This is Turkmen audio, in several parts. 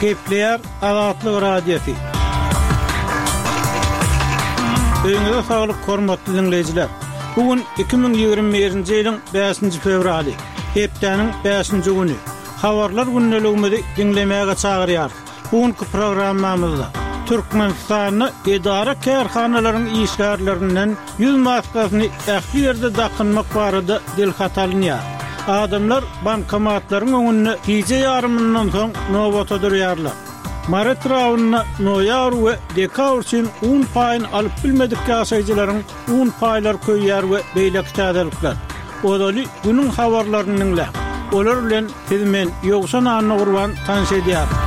Gepleýär Azatlyk Radiosy. Öýüňize saglyk hormatly diňleýjiler. Bu gün 2021-nji ýylyň 5-nji fewraly, hepdäniň 5-nji güni. Habarlar gündeligimizi diňlemäge çagyrýarys. Bu günki programmamyzda Türkmenistanda edara-kärhanalaryň işgärlerinden ýüz maskasyny ähli ýerde dakynmak barada dilhat alynýar. Adamlar bankomatlaryň öňünde gije ýarymyndan soň nobata durýarlar. Mary etrabynda noýabr we dekabr üçin un paýyny alyp bilmedik ýaşaýjylaryň un paýlary köýýär we beýleki täzelikler. Ozaly günüň habarlaryny diňläň. Olar bilen sizi men, Ýowşan Annagurban tanyş edýärin.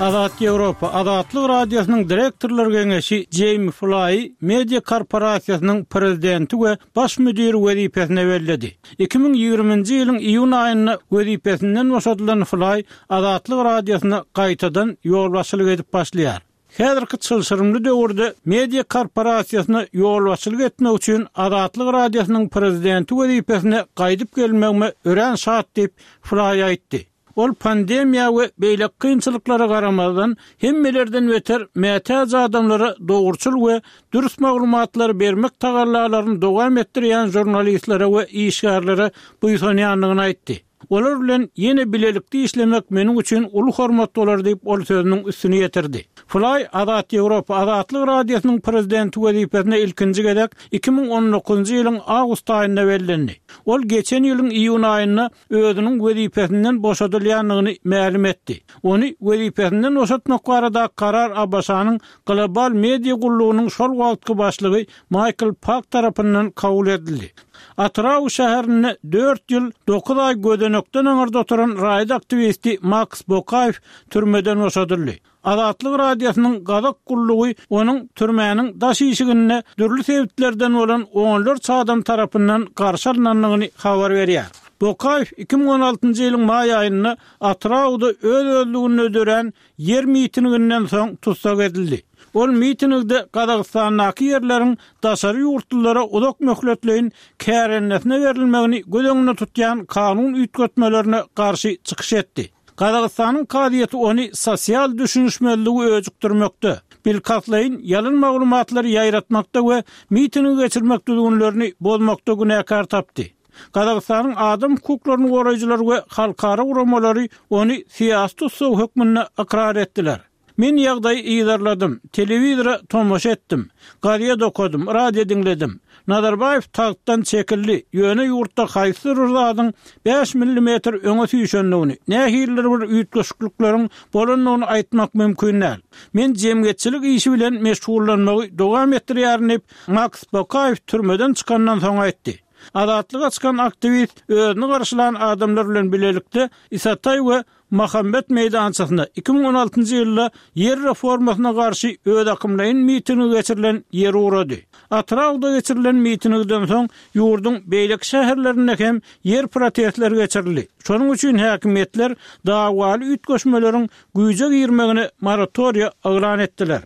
Azat Ýewropa, Azatlyk Radiosynyň direktorlar geňeşi Jeými Flaýy media korporasiýasynyň prezidenti we baş müdiri wezipesine belledi. 2020-nji ýylyň iýun aýynda wezipesinden boşadylan Flaý Azatlyk Radiosyna gaýtadan ýolbaşçylyk edip başlaýar. Häzirki çylşyrymly döwürde media korporasiýasyna ýolbaşçylyk etmek üçin Azatlyk Radiosynyň prezidenti wezipesine gaýdyp gelmegime örän şat diýip, Flaý aýtdy. Ol pandemiýa we beýleki kynçylyklara garamazdan, hemmelerden beter mätäç adamlara dogruçyl we dürs maglumatlary bermek tagallalaryny dowam etdirýän žurnalistlere we işgärlere buýsanýandygyny aýtdy. Olar bilen ýene bilelikde işlemek meniň üçin uly hormat bolar diýip, ol sözüniň üstüni ýetirdi. Flaý Azat Ýewropa Azatlyk Radiosynyň prezidenti wezipesine ilkinji gezek 2019-njy ýylyň awgust aýynda bellendi. Ol geçen ýylyň iýun aýynda özüniň wezipesinden boşadylýandygyny mälim etdi. Ony wezipesinden boşatmak baradaky karar ABŞ-nyň Global media gullugynyň şol wagtky başlygy Maýkl Pak tarapyndan kabul edildi. Atyrau şäherinde dört ýyl dokuz aý gözenekden aňyrda oturan raýat aktiwisti Maks Bokaýew türmeden boşadyldy. Azatlyk Radiosynyň gazak gullugy onuň türmäniň daş işiginde dürli sebitlerden bolan onlarça adam tarapyndan garşy alnandygyny habar berýär. Bokaýew 2016-njy ýylyň maý aýynda Atyrauda öz-özlüginde dörän ýer mitinginden soň tussag edildi. Ol mitingde Gazagystandaky ýerleriň daşary ýurtlulara uzak möhletleýin kärendesine berilmegini göz öňünde tutýan kanun üýtgetmelerine garşy çykyş etdi. Gazagystanyň kazyýeti ony sosial düşünişmezligi öjükdirmekde, bilkastlaýyn ýalan maglumatlary ýaýratmakda we mitingi geçirmek düzgünlerini bozmakda günäkär tapdy. Gazagystanyň adam hukuklaryny goraýjylar we halkara guramalary ony syýasy tussag hökmünde ykrar etdiler. Men ýagdaýy yzarladym, telewizora tomaşa etdim, gazet okadym, radio diňledim. Nazarbaýew tagtdan çekildi, ýöne ýurtda haýsydyr bir zadyň bäş millimetr öňe süýşendigini, nähilidir bir üýtgeşiklikleriň bolandygyny aýtmak mümkin däl. Men jemgyýetçilik işi bilen meşgullanmagy dowam etdirýärin diýip, Maks Bokaýew türmeden çykandan soň aýtdy. Azatlyga çykan aktiwist özüni garşylan adamlar bilen bilelikde Isataý we Mahambet meýdançasynda 2016-njy ýylda ýer reformasyna garşy özakymlaýyn mitingi geçirilen ýere ugrady. Atyrauda geçirilen mitingden soň ýurduň beýleki şäherlerinde hem ýer protestleri geçirildi. Şonuň üçin häkimiýetler dawaly üýtgeşmeleriň güýje girmegine moratoriýa yglan etdiler.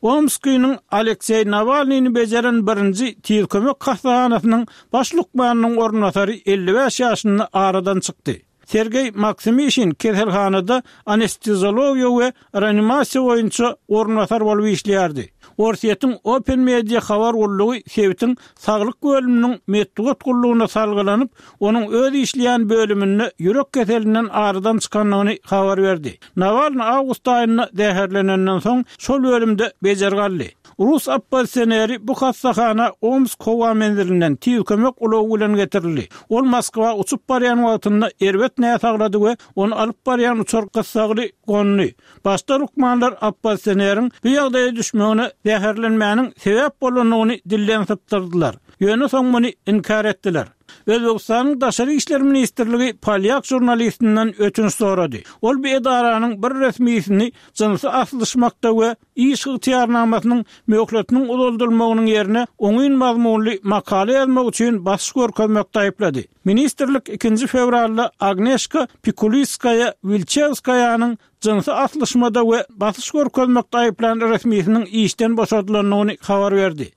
Omskiniň Alekseý Nawalnyny bejeren birinji Tiz kömek hassahanasynyň baş lukmanynyň orunbasary 55 ýaşynda aradan çykdy. Sergeý Maksimişin keselhanada anesteziologiýa we reanimasiýa boýunça orunbasar bolup işleýärdi. Orsýetiň Open Media habar gullugy sebitiň saglyk bölüminiň metbugat gullugyna salgylanyp, onuň öz işleýän bölüminde ýürek keselinden aradan çykandygyny habar berdi. Nawalny awgust aýynda zäherlenenden soň şol bölümde bejergi aldy. Rus oppozisioneri bu hassahana Omsk howa menzilinden tiz kömek ulagy bilen getirildi. Ol Moskwa uçup barýan wagtynda erbet näsaglady we ony alyp barýan uçar gyssagly gondy. Başda lukmanlar oppozisioneriň bu ýagdaýa düşmegine zäherlenmäniň sebäp bolandygyny dilden sypdyrdylar. Ýöne soň muny inkär etdiler. Özbegistanyň Daşary işler ministrligi polýak žurnalistinden ötünç sorady. Ol bu edaranyň bir resmisini jynsy aslyşmakda we iş ygtyýarnamasynyň möhletiniň uzaldylmagynyň ýerine oňyn mazmunly makala ýazmak üçin basyş görkezmekde aýyplady. Ministrlik ikinji fewralda Agneşka Pikuliskaýa-Wilçewskaýanyň jynsy aslyşmada we basyş görkezmekde aýyplan resmisiniň işden boşadylandygyny habar berdi.